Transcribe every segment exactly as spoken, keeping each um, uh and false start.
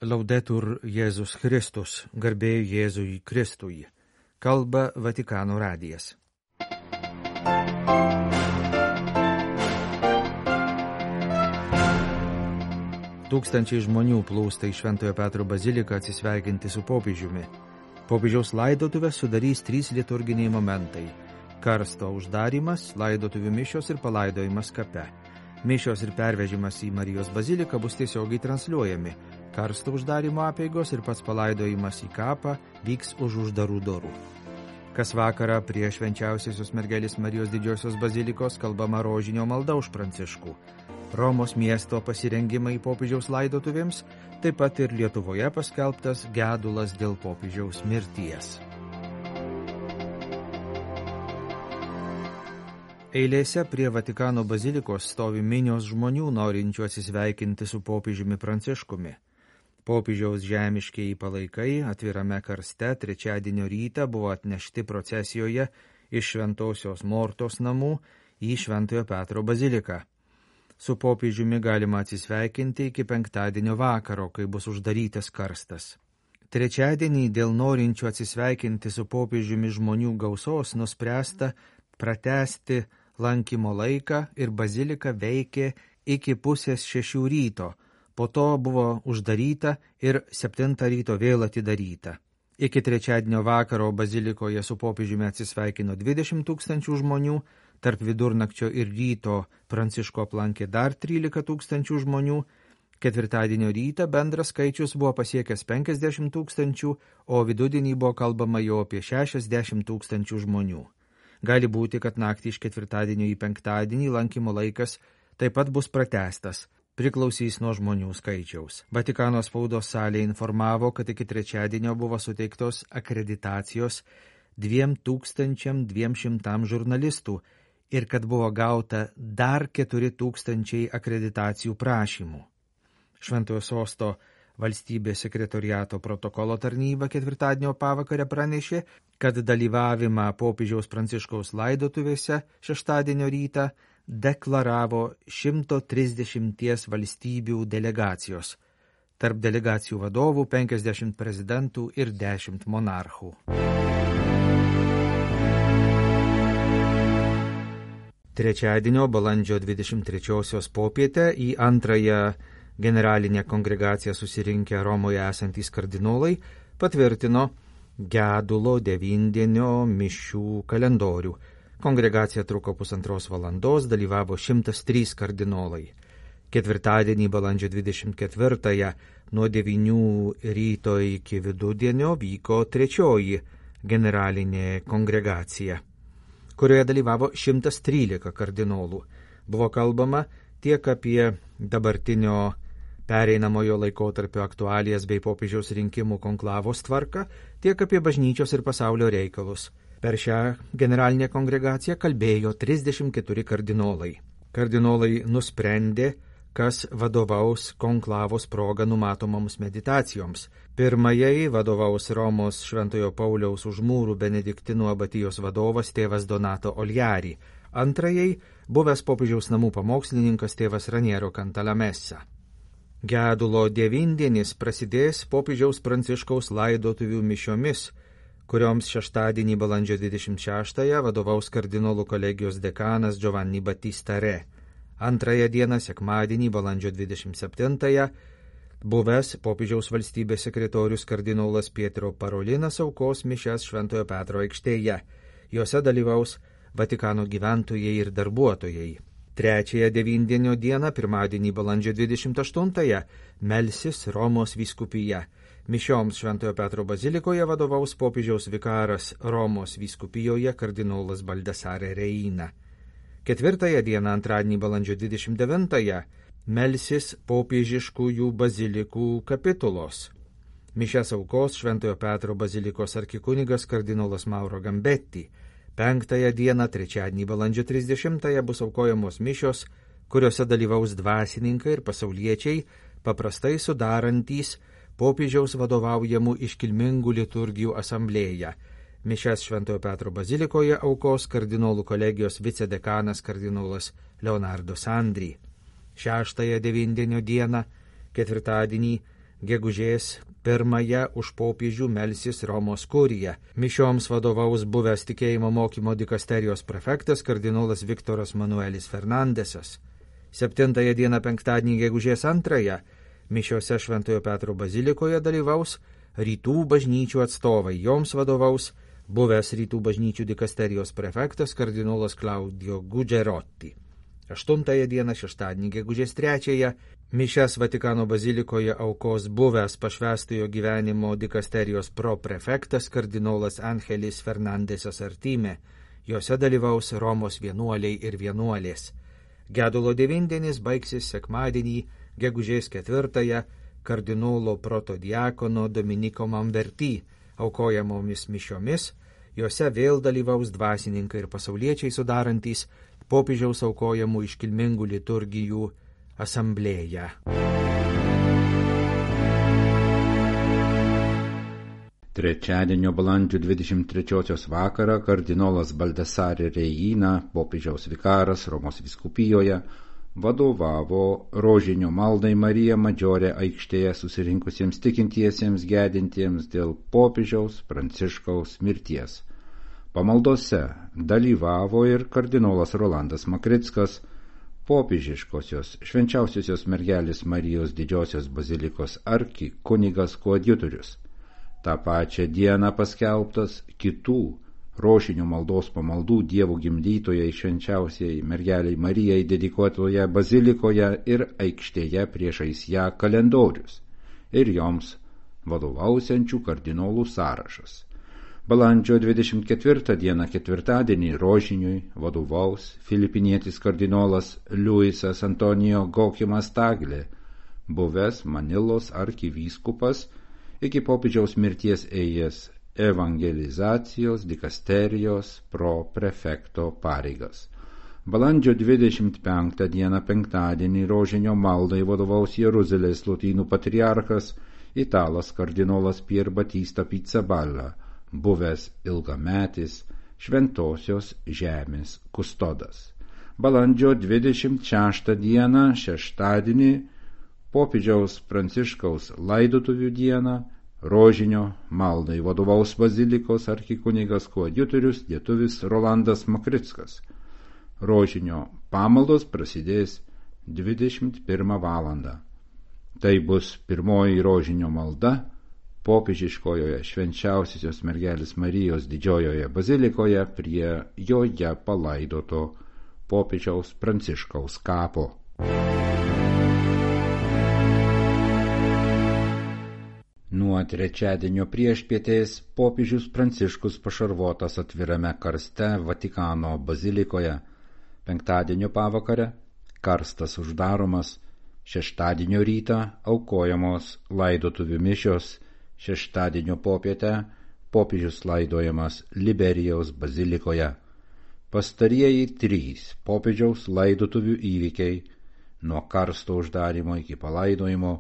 Laudetur Jėzus Kristus, garbė Jėzui Kristui. Kalba Vatikano radijas. Tūkstančiai žmonių plūsta į Šventojo Petro baziliką atsisveikinti su popiežiumi. Popiežiaus laidotuvės sudarys trys liturginiai momentai – karsto uždarymas, laidotuvių mišios ir palaidojimas kape. Mišios ir pervežimas į Marijos baziliką bus tiesiogiai transliuojami. Karsto uždarimo apeigos ir pats palaidojimas į kapą vyks už uždarų durų. Kas vakarą prie Švenčiausiosios mergelės Marijos didžiosios bazilikos kalbama rožinio malda už Pranciškų. Romos miesto pasirengimai popiežiaus laidotuvėms, taip pat ir Lietuvoje paskelbtas gedulas dėl popiežiaus mirties. Eilėse prie Vatikano bazilikos stovi minios žmonių norinčių atsisveikinti su popiežiumi Pranciškumi. Popiežiaus žemiškieji palaikai atvirame karste trečiadienio rytą buvo atnešti procesijoje iš Šventosios Mortos namų į Šventojo Petro baziliką. Su popiežiumi galima atsisveikinti iki penktadienio vakaro, kai bus uždarytas karstas. Trečiadienį dėl norinčių atsisveikinti su popiežiumi žmonių gausos nuspręsta pratęsti lankymo laiką ir bazilika veikė iki pusės šešių ryto. Po to buvo uždaryta ir septintą ryto vėl atidaryta. Iki trečiadienio vakaro bazilikoje su popiežiumi atsisveikino dvidešimt tūkstančių žmonių, tarp vidurnakčio ir ryto Pranciško aplankė dar trylika tūkstančių žmonių, ketvirtadienio rytą bendras skaičius buvo pasiekęs penkiasdešimt tūkstančių, o vidudienį buvo kalbama jau apie šešiasdešimt tūkstančių žmonių. Gali būti, kad naktį iš ketvirtadienio į penktadienį lankymo laikas taip pat bus pratęstas. Priklausys nuo žmonių skaičiaus. Vatikano spaudos salė informavo, kad iki trečiadienio buvo suteiktos akreditacijos dviem tūkstančiam dviem šimtam žurnalistų ir kad buvo gauta dar keturi tūkstančiai akreditacijų prašymų. Šventojo sosto valstybės sekretoriato protokolo tarnyba ketvirtadienio pavakarę pranešė, kad dalyvavimą popiežiaus Pranciškaus laidotuvėse šeštadienio rytą deklaravo šimto trisdešimties valstybių delegacijos. Tarp delegacijų vadovų penkiasdešimt prezidentų ir dešimt monarchų. Trečiadienio balandžio dvidešimt trečiosios popietę į antrąją generalinę kongregaciją susirinkę Romoje esantys kardinolai patvirtino gedulo devindienio mišių kalendorių. Kongregacija truko pusantros valandos, dalyvavo šimtas trys kardinolai. Ketvirtadienį balandžio dvidešimt ketvirtąją nuo devynių ryto iki vidudienio vyko trečioji generalinė kongregacija, kurioje dalyvavo šimtas trylika kardinolų. Buvo kalbama tiek apie dabartinio pereinamojo laikotarpio aktualijas bei popiežiaus rinkimų konklavos tvarką, tiek apie bažnyčios ir pasaulio reikalus. Per šią generalinę kongregaciją kalbėjo trisdešimt keturi kardinolai. Kardinolai nusprendė, kas vadovaus konklavos proga numatomoms meditacijoms. Pirmajai vadovaus Romos Šventojo Pauliaus už mūrų benediktinų abatijos vadovas tėvas Donato Oljari. Antrajai buvęs popiežiaus namų pamokslininkas tėvas Raniero Cantalamessa. Gedulo devindienis prasidės popiežiaus Pranciškaus laidotuvių mišiomis, kurioms šeštadienį balandžio dvidešimt šeštąją vadovaus kardinolų kolegijos dekanas Giovanni Battista Re. Antrąją dieną, sekmadienį balandžio dvidešimt septintąją, buvęs popiežiaus valstybės sekretorius kardinolas Pietro Parolinas aukos mišias Šventojo Petro aikštėje. Jose dalyvaus Vatikano gyventojai ir darbuotojai. Trečiąją devindienio dieną, pirmadienį balandžio dvidešimt aštuntąją, melsis Romos vyskupija. Mišioms Šventojo Petro bazilikoje vadovaus popiežiaus vikaras Romos vyskupijoje kardinolas Baldasare Reina. Ketvirtąją dieną, antradienį balandžio dvidešimt devintąją, melsis popiežiškųjų bazilikų kapitulos. Mišias aukos Šventojo Petro bazilikos arkikunigas kardinolas Mauro Gambetti. Penktąją dieną, trečiadienį balandžio trisdešimtąją, bus aukojamos mišios, kuriuose dalyvaus dvasininkai ir pasauliečiai, paprastai sudarantys popiežiaus vadovaujamų iškilmingų liturgijų asamblėją. Mišias Šventojo Petro bazilikoje aukos kardinolų kolegijos vicedekanas kardinolas Leonardo Sandri. Šeštąją devindienio dieną, ketvirtadienį, gegužės pirmąją už popiežių melsis Romos kurija. Mišioms vadovaus buvęs tikėjimo mokymo dikasterijos prefektas kardinolas Viktoras Manuelis Fernandesas. Septintąją dieną penktadienį gegužės antrąją mišiose Šventojo Petro bazilikoje dalyvaus rytų bažnyčių atstovai. Joms vadovaus buvęs rytų bažnyčių dikasterijos prefektas kardinolas Claudio Gugerotti. Aštuntąją dieną šeštadienį gegužės trečiąją mišias Vatikano bazilikoje aukos buvęs pašvęstojo gyvenimo dikasterijos proprefektas kardinolas Angelis Fernandesas Artime. Jose dalyvaus Romos vienuoliai ir vienuolės. Gedulo devindienis baigsis sekmadienį gegužės ketvirtąją kardinolo protodiakono Dominiko Mamverty aukojamomis mišiomis. Jose vėl dalyvaus dvasininkai ir pasauliečiai sudarantys popiežiaus aukojamų iškilmingų liturgijų asamblėją. Trečiadienio balandžio dvidešimt trečiosios vakarą kardinolas Baldesare Reina, popiežiaus vikaras Romos vyskupijoje, vadovavo rožinio maldai Marija Madžiore aikštėje susirinkusiems tikintiesiems gedintiems dėl popiežiaus Pranciškaus mirties. Pamaldose dalyvavo ir kardinolas Rolandas Makrickas, popiežiškosios švenčiausiosios mergelės Marijos didžiosios bazilikos arkikunigas koadjutorius. Ta pačia dieną paskelbtas kitų rožinio maldos pamaldų Dievo gimdytojai švenčiausiai mergeliai Marijai dedikuotoje bazilikoje ir aikštėje priešais ją kalendorius ir joms vadovausiančių kardinolų sąrašas. Balandžio dvidešimt ketvirtą dieną ketvirtadienį rožiniui vadovaus filipinietis kardinolas Luisas Antonijo Gokimas Taglė, buvęs Manilos arkivyskupas, iki popiežiaus mirties ėjęs evangelizacijos dikasterijos proprefekto pareigas. Balandžio dvidešimt penktą dieną penktadienį rožinio maldai vadovaus Jeruzalės lotynų patriarchas italas kardinolas Pier Batista Pizzaballa, buvęs ilgametis šventosios žemės kustodas. Balandžio dvidešimt šeštą dieną šeštadienį popiežiaus Pranciškaus laidotuvių dieną rožinio maldai vadovaus bazilikos arkikunigas koadjutorius lietuvis Rolandas Makrickas. Rožinio pamaldos prasidės dvidešimt pirmą valandą. Tai bus pirmoji rožinio malda popiežiškojoje švenčiausiosios mergelės Marijos didžiojoje bazilikoje prie joje palaidoto popiežiaus Pranciškaus kapo. Nuo trečiadienio priešpietės popiežius Pranciškus pašarvotas atvirame karste Vatikano bazilikoje. Penktadienio pavakare karstas uždaromas, šeštadienio rytą aukojamos laidotuvių mišios, šeštadienio popietę popiežius laidojamas Liberijaus bazilikoje. Pastarieji trys popiežiaus laidotuvių įvykiai nuo karsto uždarimo iki palaidojimo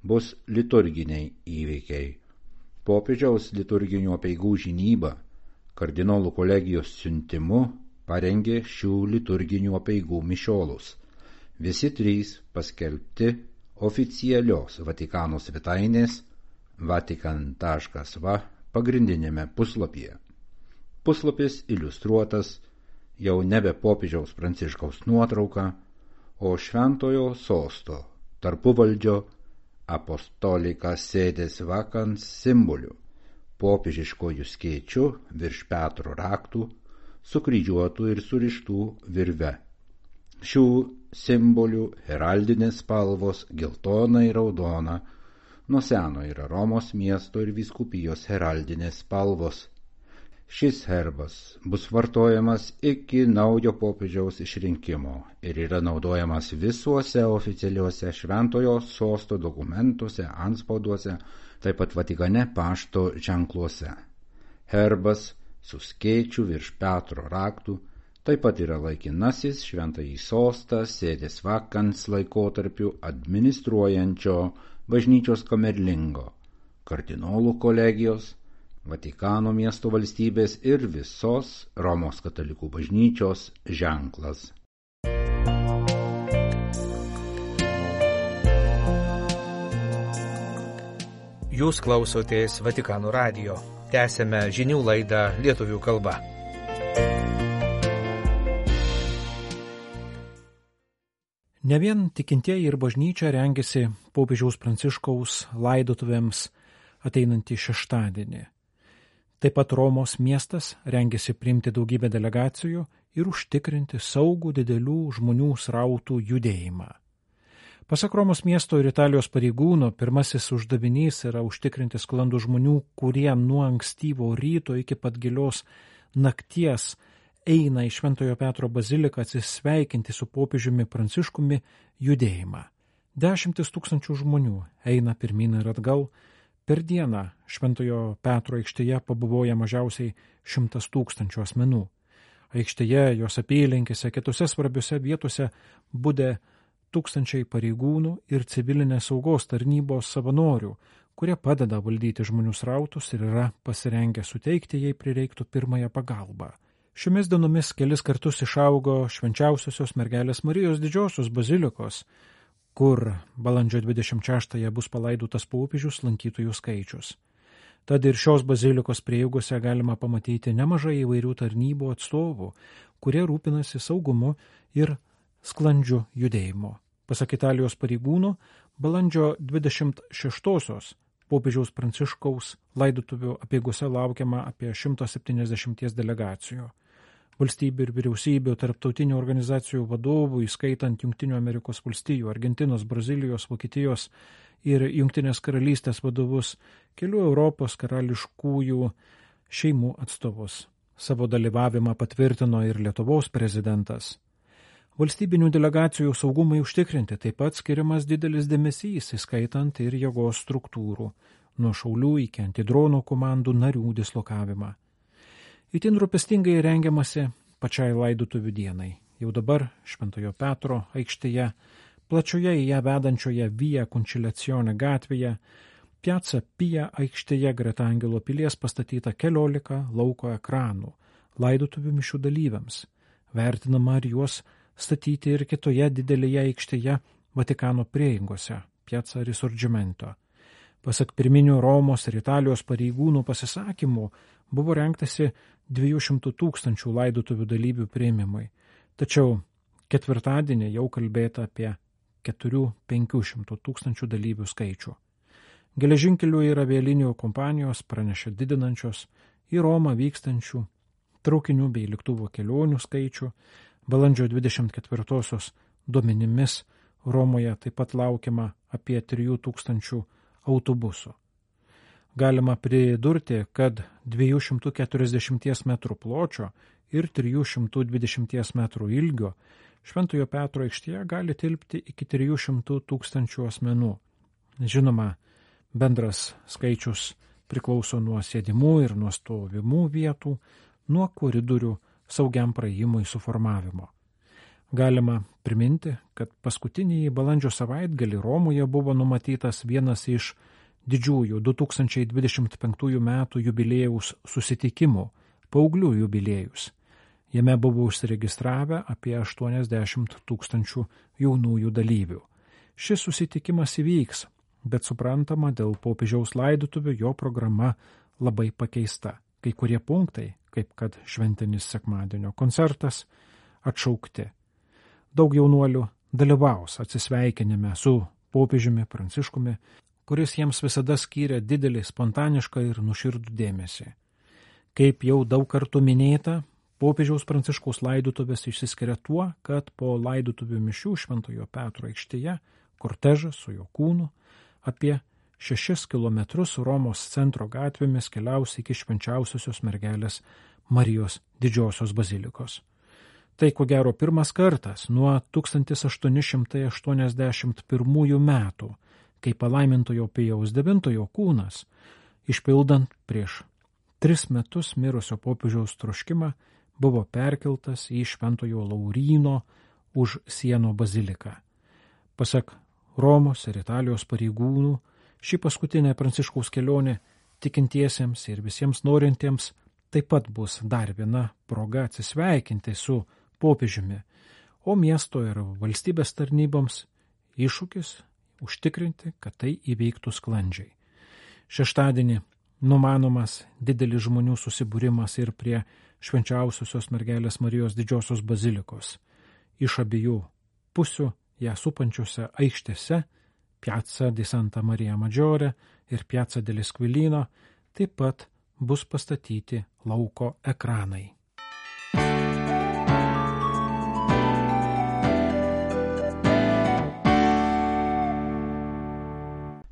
bus liturginiai įvykiai. Popiežiaus liturginių apeigų žinyba kardinolų kolegijos siuntimu parengė šių liturginių apeigų mišiolus. Visi trys paskelbti oficialios Vatikano svetainės vatikan taškas va pagrindinėme puslapyje. Puslapis iliustruotas jau nebe popiežiaus Pranciškaus nuotrauka, o šventojo sosto tarpuvaldžio apostolika sėdės vakans simboliu, popiežiškojų skėčiu virš Petro raktų, sukryžiuotų ir surištų virve. Šių simbolių heraldinės spalvos geltona ir raudona nuo seno yra Romos miesto ir vyskupijos heraldinės spalvos. Šis herbas bus vartojamas iki naujo popiežiaus išrinkimo ir yra naudojamas visuose oficialiuose šventojo sosto dokumentuose, antspauduose, taip pat Vatikane pašto ženkluose. Herbas su skėčiu virš Petro raktų taip pat yra laikinasis šventąjį sostą sėdės vakans laikotarpiu administruojančio bažnyčios kamerlingo, kardinolų kolegijos, Vatikano miesto valstybės ir visos Romos katalikų bažnyčios ženklas. Jūs klausotės Vatikano radijo. Tęsėme žinių laidą lietuvių kalba. Ne vien tikintieji ir bažnyčia rengiasi popiežiaus Pranciškaus laidotuvėms ateinantį šeštadienį. Taip pat Romos miestas rengiasi priimti daugybę delegacijų ir užtikrinti saugų didelių žmonių srautų judėjimą. Pasak Romos miesto ir Italijos pareigūno, pirmasis uždavinys yra užtikrinti sklandų žmonių, kurie nuo ankstyvo ryto iki pat gilios nakties eina į Šventojo Petro baziliką atsisveikinti su popiežiumi Pranciškumi judėjimą. Dešimtis tūkstančių žmonių eina pirmyn ir atgal. Per dieną Šventojo Petro aikštėje pabuvoja mažiausiai šimtas tūkstančių asmenų. Aikštėje, jos apylinkėse, kitose svarbiose vietose budė tūkstančiai pareigūnų ir civilinės saugos tarnybos savanorių, kurie padeda valdyti žmonių srautus ir yra pasirengę suteikti, jei prireiktų, pirmąją pagalbą. Šiomis dienomis kelis kartus išaugo Švenčiausiosios mergelės Marijos didžiosios bazilikos, kur balandžio dvidešimt šeštąją bus palaidotas popiežius, lankytojų skaičius. Tad ir šios bazilikos prieigose galima pamatyti nemažai įvairių tarnybų atstovų, kurie rūpinasi saugumu ir sklandžiu judėjimu. Pasak Italijos pareigūnų, balandžio dvidešimt šeštosios popiežiaus Pranciškaus laidotuvių apeigose laukiama apie šimto septyniasdešimties delegacijų. Valstybių ir vyriausybių, tarptautinių organizacijų vadovų, įskaitant Jungtinių Amerikos valstijų, Argentinos, Brazilijos, Vokietijos ir Jungtinės karalystės vadovus, kelių Europos karališkųjų šeimų atstovus. Savo dalyvavimą patvirtino ir Lietuvos prezidentas. Valstybinių delegacijų saugumai užtikrinti taip pat skiriamas didelis dėmesys, įskaitant ir jėgos struktūrų, nuo šaulių iki antidronų komandų narių dislokavimą. Itin rūpestingai rengiamasi pačiai laidotuvių dienai. Jau dabar Šventojo Petro aikštėje, plačioje į ją vedančioje Via Conciliazione gatvėje, Piazza Pia aikštėje greta Angelo pilies pastatyta keliolika lauko ekranų laidotuvių mišių dalyviams. Vertinama ar juos statyti ir kitoje didelėje aikštėje Vatikano prieigose, Piazza Risorgimento. Pasak pirminių Romos ir Italijos pareigūnų pasisakymų, buvo rengtasi dviejų šimtų tūkstančių laidotuvių dalyvių priėmimui, tačiau ketvirtadienį jau kalbėta apie keturių penkių šimtų tūkstančių dalyvių skaičių. Geležinkelių ir avialinijų kompanijos pranešė didinančios į Romą vykstančių traukinių bei lėktuvo kelionių skaičių. Balandžio dvidešimt ketvirtosios duomenimis Romoje taip pat laukiama apie trijų tūkstančių autobusų. Galima pridurti, kad dviejų šimtų keturiasdešimties metrų pločio ir trijų šimtų dvidešimties metrų ilgio Šventojo Petro aikštėje gali tilpti iki trijų šimtų tūkstančių asmenų. Žinoma, bendras skaičius priklauso nuo sėdimų ir nuo stovimų vietų, nuo koridorių saugiam praėjimui suformavimo. Galima priminti, kad paskutinį balandžio savaitgalį Romoje buvo numatytas vienas iš didžiųjų du tūkstančiai dvidešimt penktųjų metų jubiliejaus susitikimų, paauglių jubiliejus. Jame buvo užsiregistravę apie aštuoniasdešimt tūkstančių jaunųjų dalyvių. Šis susitikimas įvyks, bet suprantama, dėl popiežiaus laidotuvių jo programa labai pakeista. Kai kurie punktai, kaip kad šventinis sekmadienio koncertas, atšaukti. Daug jaunuolių dalyvaus atsisveikinime su popiežiumi Pranciškumi, kuris jiems visada skyrė didelį spontanišką ir nuširdų dėmesį. Kaip jau daug kartų minėta, popiežiaus Pranciškaus laidotuvės išsiskiria tuo, kad po laidotuvių mišių Šventojo Petro aikštėje kortežas su jo kūnu apie šešis kilometrus Romos centro gatvėmis keliaus iki Švenčiausiosios mergelės Marijos didžiosios bazilikos. Tai ko gero pirmas kartas nuo tūkstantis aštuoni šimtai aštuoniasdešimt pirmųjų metų, kai palaimintojo Pijaus devintojo kūnas, išpildant prieš tris metus mirusio popiežiaus troškimą, buvo perkeltas į Šventojo Lauryno už sienų baziliką. Pasak Romos ir Italijos pareigūnų, ši paskutinė Pranciškaus kelionė tikintiesiems ir visiems norintiems taip pat bus dar viena proga atsisveikinti su popiežiumi, o miesto ir valstybės tarnyboms iššūkis užtikrinti, kad tai įveiktų sklandžiai. Šeštadienį numanomas didelis žmonių susibūrimas ir prie Švenčiausiosios mergelės Marijos didžiosios bazilikos. Iš abiejų pusių ją supančiose aikštėse, Piazza di Santa Maria Maggiore ir Piazza dell'Esquilino, taip pat bus pastatyti lauko ekranai.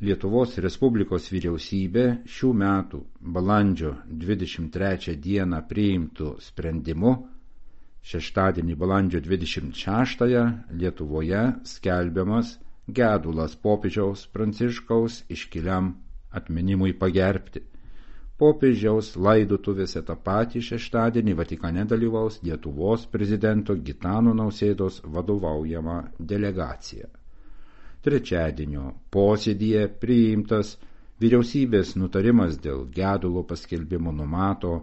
Lietuvos Respublikos vyriausybė šių metų balandžio dvidešimt trečią dieną priimtų sprendimu šeštadienį balandžio dvidešimt šeštąją Lietuvoje skelbiamas gedulas popiežiaus Pranciškaus iškiliam atminimui pagerbti. Popiežiaus laidotuvėse tą patį šeštadienį Vatikane dalyvaus Lietuvos prezidento Gitano Nausėdos vadovaujama delegacija. Trečiadienio posėdyje priimtas vyriausybės nutarimas dėl gedulo paskelbimo numato,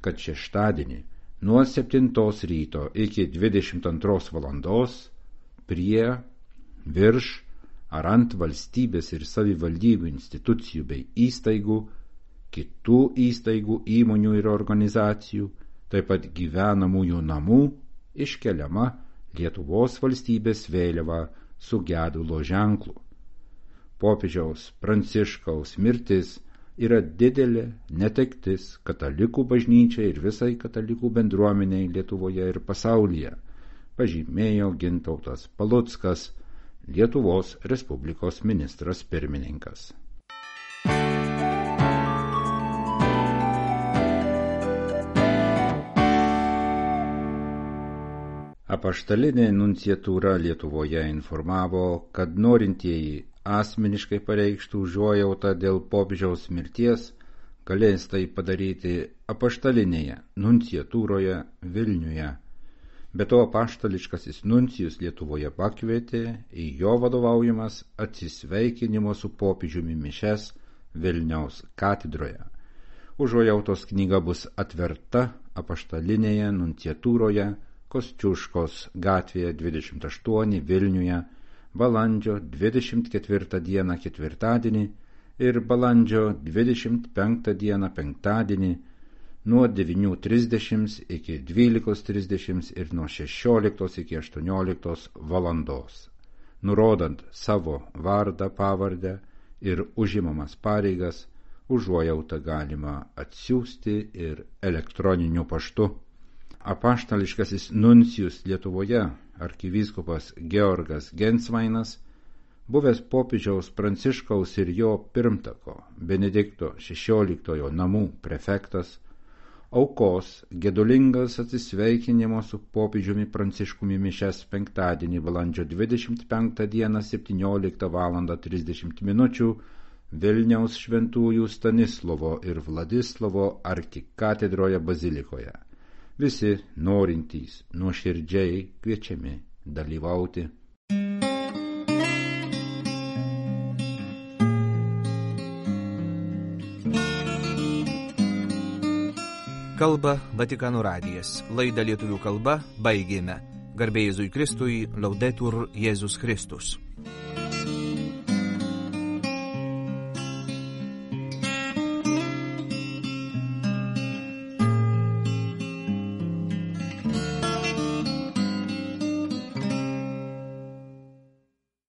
kad šeštadienį nuo septintos ryto iki dvidešimt antros valandos prie, virš ar ant valstybės ir savivaldybių institucijų bei įstaigų, kitų įstaigų, įmonių ir organizacijų, taip pat gyvenamųjų namų iškeliama Lietuvos valstybės vėliava su gedulo ženklu. Popiežiaus Pranciškaus mirtis yra didelė netektis katalikų bažnyčiai ir visai katalikų bendruomeniai Lietuvoje ir pasaulyje, pažymėjo Gintautas Paluckas, Lietuvos Respublikos ministras pirmininkas. Apaštalinė nunciatūra Lietuvoje informavo, kad norintieji asmeniškai pareikštų užuojautą dėl popiežiaus mirties galės tai padaryti apaštalinėje nunciatūroje Vilniuje. Be to apaštališkasis nuncijus Lietuvoje pakvietė į jo vadovaujamas atsisveikinimo su popiežiumi mišias Vilniaus katedroje. Užuojautos knyga bus atverta apaštalinėje nunciatūroje Kosciuškos gatvėje dvidešimt aštuoni Vilniuje balandžio dvidešimt ketvirtą dieną ketvirtadienį ir balandžio dvidešimt penktą dieną penktadienį nuo devynių trisdešimt iki dvylikos trisdešimt ir nuo šešioliktos iki aštuonioliktos valandos, nurodant savo vardą, pavardę ir užimamas pareigas, užuojautą galima atsiųsti ir elektroniniu paštu. Apaštališkasis nuncijus Lietuvoje arkivyskupas Georgas Gensvainas, buvęs popiežiaus Pranciškaus ir jo pirmtako Benedikto šešioliktojo namų prefektas, aukos gedulingas atsisveikinimo su popiežiumi Pranciškumi mišias penktadienį balandžio dvidešimt penktą dieną septynioliktą valandą trisdešimt minučių Vilniaus šventųjų Stanislovo ir Vladislovo arkikatedroje bazilikoje. Visi norintys nuoširdžiai kviečiami dalyvauti. Kalba Vatikano radijas. Laidą lietuvių kalba baigėme. Garbė Jėzui Kristui, Laudetur Jėzus Kristus.